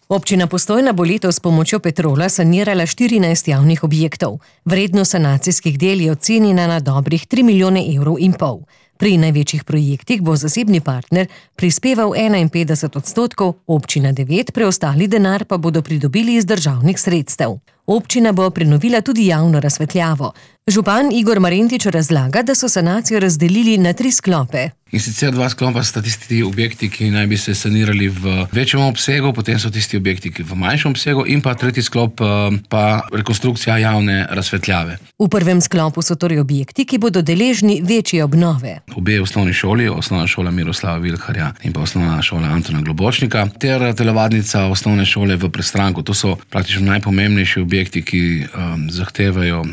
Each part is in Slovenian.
Občina Postojna bo letos s pomočjo Petrola sanirala 14 javnih objektov. Vrednost sanacijskih del je ocenjena na dobrih 3,5 milijone evrov. Pri največjih projektih bo zasebni partner prispeval 51%, občina 9%, preostali denar pa bodo pridobili iz državnih sredstev. Občina bo prenovila tudi javno razsvetljavo. Župan Igor Marentič razlaga, da so sanacijo razdelili na 3 sklope. In sicer 2 sklopa sta tisti objekti, ki naj bi se sanirali v večjem obsegu, potem so tisti objekti, ki v manjšem obsegu, in pa tretji sklop pa rekonstrukcija javne razsvetljave. V prvem sklopu so torej objekti, ki bodo deležni večje obnove. Obe osnovni šoli, osnovna šola Miroslava Vilharja in pa osnovna šola Antona Globočnika, ter telovadnica osnovne šole v Prestranku. To so praktično najpomembnejši objekti, ki zahtevajo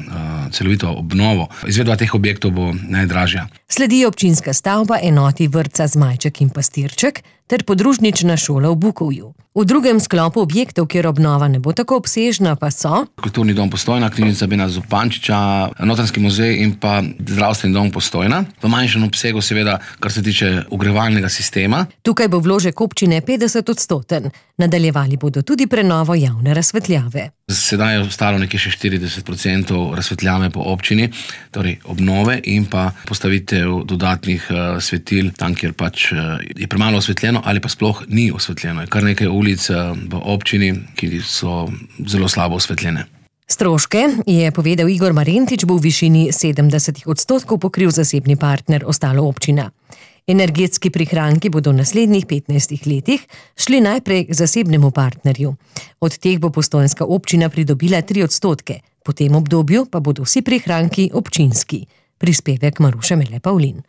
celovito obnovo. Izvedba teh objektov bo najdražja. Sledi občinska stavba enoti vrtca Zmajček in Pastirček ter podružnična šola v Bukovju. V drugem sklopu objektov, kjer obnova ne bo tako obsežna, pa so Kulturni dom Postojna, Knjižnica Bena Zupančiča, Notranjski muzej in pa Zdravstveni dom Postojna. V manjšem obsegu seveda, kar se tiče ogrevalnega sistema. Tukaj bo vložek občine 50%. Nadaljevali bodo tudi prenovo javne razsvetljave. Sedaj je ostalo nekje še 40% razsvetljave po občini, torej obnove in pa postavitev dodatnih svetil tam, kjer pač je premalo osvetljeno ali pa sploh ni osvetljeno. Je kar nekaj ulic v občini, ki so zelo slabo osvetljene. Stroške, je povedal Igor Marentič, bo v višini 70% pokril zasebni partner, ostalo občina. Energetski prihranki bodo v naslednjih 15 letih šli najprej k zasebnemu partnerju. Od teh bo postojnska občina pridobila 3%, po tem obdobju pa bodo vsi prihranki občinski. Prispevek Maruše Mele Pavlin.